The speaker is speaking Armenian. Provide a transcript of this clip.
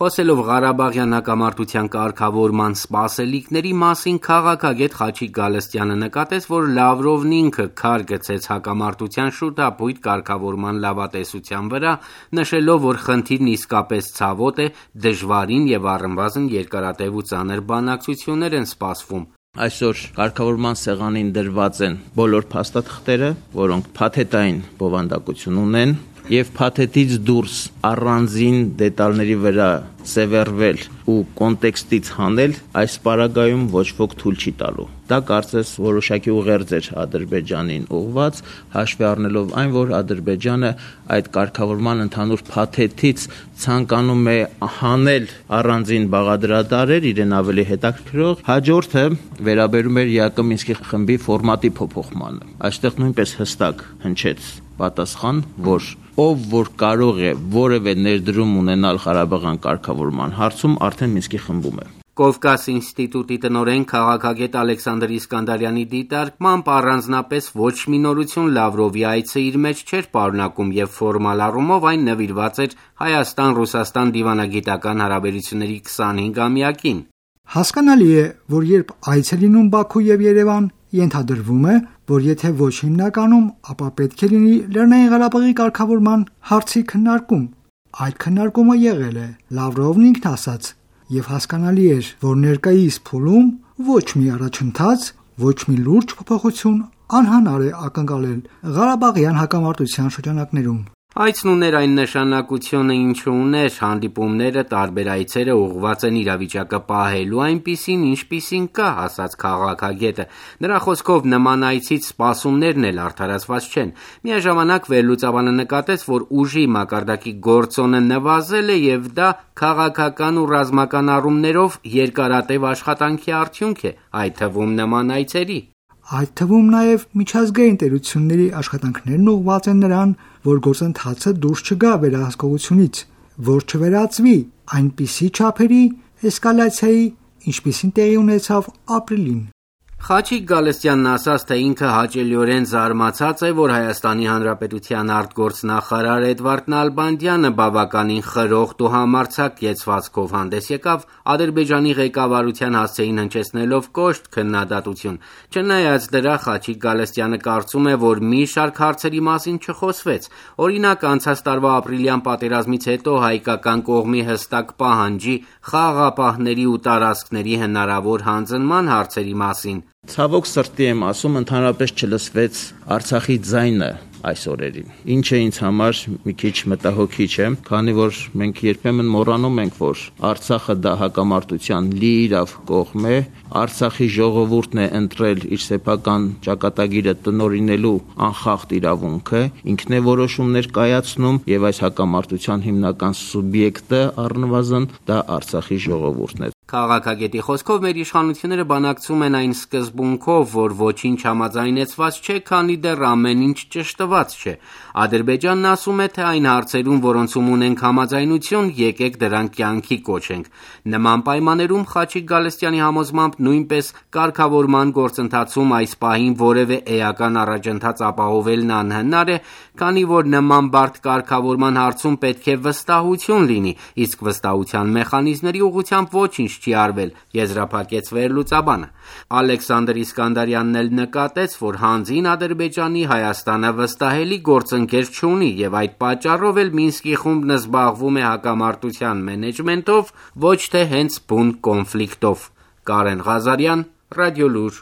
Խոսելով Ղարաբաղյան հակամարտության կարգավորման սպասելիքների մասին, քաղաքագետ Խաչիկ Գալստյանը նկատեց, որ Լավրովն ինքը քար գցեց հակամարտության շուտապույտ կարգավորման լավատեսության վրա, նշելով, որ խնդիրն իսկապես ցավոտ է, դժվարին եւ առնվազն երկարատև ու ծանր բանակցություններ են սպասվում։ Այսօր կարգավորման սեղանին դրված են բոլոր փաստաթղթերը, որոնք փաթեթային բովանդակություն ունեն, եւ փաթեթից դուրս առանձին դետալների վրա սևեռվել ու կոնտեքստից հանել այս պարագայում ոչ ոք թույլ չի տալու։ Դա կարծես որոշակի ուղերձ էր Ադրբեջանին ուղված, հաշվի առնելով այն, որ Ադրբեջանը այդ կարգավորման ընդհանուր փաթեթից ցանկանում է հանել առանձին բաղադրատարեր, իրեն ավելի հետաքրքրող։ Հաջորդը վերաբերում էր ԵԱԿ Մինսկի խմբի ֆորմատի փոփոխմանը։ Այստեղ նույնպես հստակ հնչեց պատասխան, որ ով որ կարող է որևէ ներդրում ունենալ Ղարաբաղյան կարգավորման հարցում, արդեն Մինսկի խմբում է։ Կովկաս ինստիտուտի տնօրեն քաղաքագետ Ալեքսանդր Իսկանդարյանի դիտարկմամբ առանձնապես ոչ մի նորություն Լավրովի այցը իր մեջ չէր պարունակում եւ ֆորմալ առումով այն նվիրված էր Հայաստան-Ռուսաստան դիվանագիտական հարաբերությունների 25-ամյակին։ Հասկանալի է, որ երբ այց է լինում Բաքու եւ Երևան, ենթադրվում է, որ եթե ոչ հիմնականում, ապա պետք է լինի Լեռնային Ղարաբաղի կարգավորման հարցի քննարկում։ Այդ քննարկումը եղել է, Լավրովն ինքն ասաց, եւ հասկանալի էր, որ ներկայիս փուլում ոչ մի առաջընթաց, ոչ մի լուրջ փոփոխություն անհնար է ակնկալել Ղարաբաղյան հակամարտության շրջանակներում։ Այցն ուներ այն նշանակությունը, ինչը ուներ, հանդիպումները, տարբեր այցերը ուղղված են իրավիճակը պահելու այնպիսին, ինչպիսին կա, ասաց քաղաքագետը։ Նրա խոսքով նման այցից սպասումներն էլ արդարացված չեն։ Միաժամանակ վերլուծաբանը նկատեց, որ ուժի մակարդակի գործոնը նվազել է եւ դա քաղաքական ու ռազմական առումներով երկարատև աշխատանքի արդյունք է, այդ թվում նման այցերի։ Այդ թվում նաև միջազգային տերությունների աշխատանքներն ուղղված են նրան, որ գործընթացը դուրս չգա վերահսկողությունից, որ չվերածվի այնպիսի չափերի էսկալացիայի, ինչպիսին տեղի ունեցավ ապրիլին։ Խաչիկ Գալստյանն ասաց, թե ինքը հաճելիորեն զարմացած է, որ Հայաստանի Հանրապետության արտգործնախարար Էդվարդ Նալբանդյանը բավականին խրոխտ ու համարձակ կեցվածքով հանդես եկավ Ադրբեջանի ղեկավարության հասցեին հնչեցնելով կոշտ քննադատություն։ Չնայած դրա, Խաչիկ Գալստյանը կարծում է, որ մի շարք հարցերի մասին չխոսվեց։ Օրինակ, անցած տարվա ապրիլյան պատերազմից հետո հայկական կողմի հստակ պահանջի, խաղաղապահների ու տարածքների հնարավոր հանձնման հարցերի մասին։ Ցավոք սրտի եմ ասում, ընդհանրապես չլսվեց Արցախի ձայնը այս օրերին, ինչը ինձ համար մի քիչ մտահոգիչ է, քանի որ մենք երբեմն մոռանում ենք, որ Արցախը դա հակամարտության լիիրավ կողմ է, Արցախի ժողովուրդն է ընտրել իր սեփական ճակատագիրը տնօրինելու անխախտ իրավունքը, ինքն է որոշումներ կայացնում եւ այս հակամարտության հիմնական սուբյեկտը առնվազն դա Արցախի ժողովուրդն է։ Քաղաքագետի խոսքով մեր իշխանությունները բանակցում են այն սկզբունքով, որ ոչինչ համաձայնեցված չէ, քանի դեռ ամեն ինչ ճշտված չէ։ Ադրբեջանն ասում է, թե այն հարցերում, որոնցում ունենք համաձայնություն, եկեք դրանք կյանքի կոչենք։ Նման պայմաններում Խաչիկ Գալստյանի համոզմամբ նույնպես կարգավորման գործընթացում այս պահին որևէ էական առաջընթաց ապահովելն անհնար է, քանի որ նման բարդ կարգավորման հարցում պետք է վստահություն լինի, իսկ վստահության մեխանիզմների ուղղությամբ ոչինչ չի արվել, եզրափակեց վերլուծաբանը։ Ալեքսանդր Իսկանդարյանն էլ նկատեց, որ հանձին Ադրբեջանի Հայաստանը վստահելի գործընկեր չունի եւ այդ պատճառով էլ Մինսկի խումբն զբաղվում է հակամարտության մենեջմենթով, ոչ թե հենց բուն կոնֆլիկտով։ Կարեն Ղազարյան, Ռադիոլուր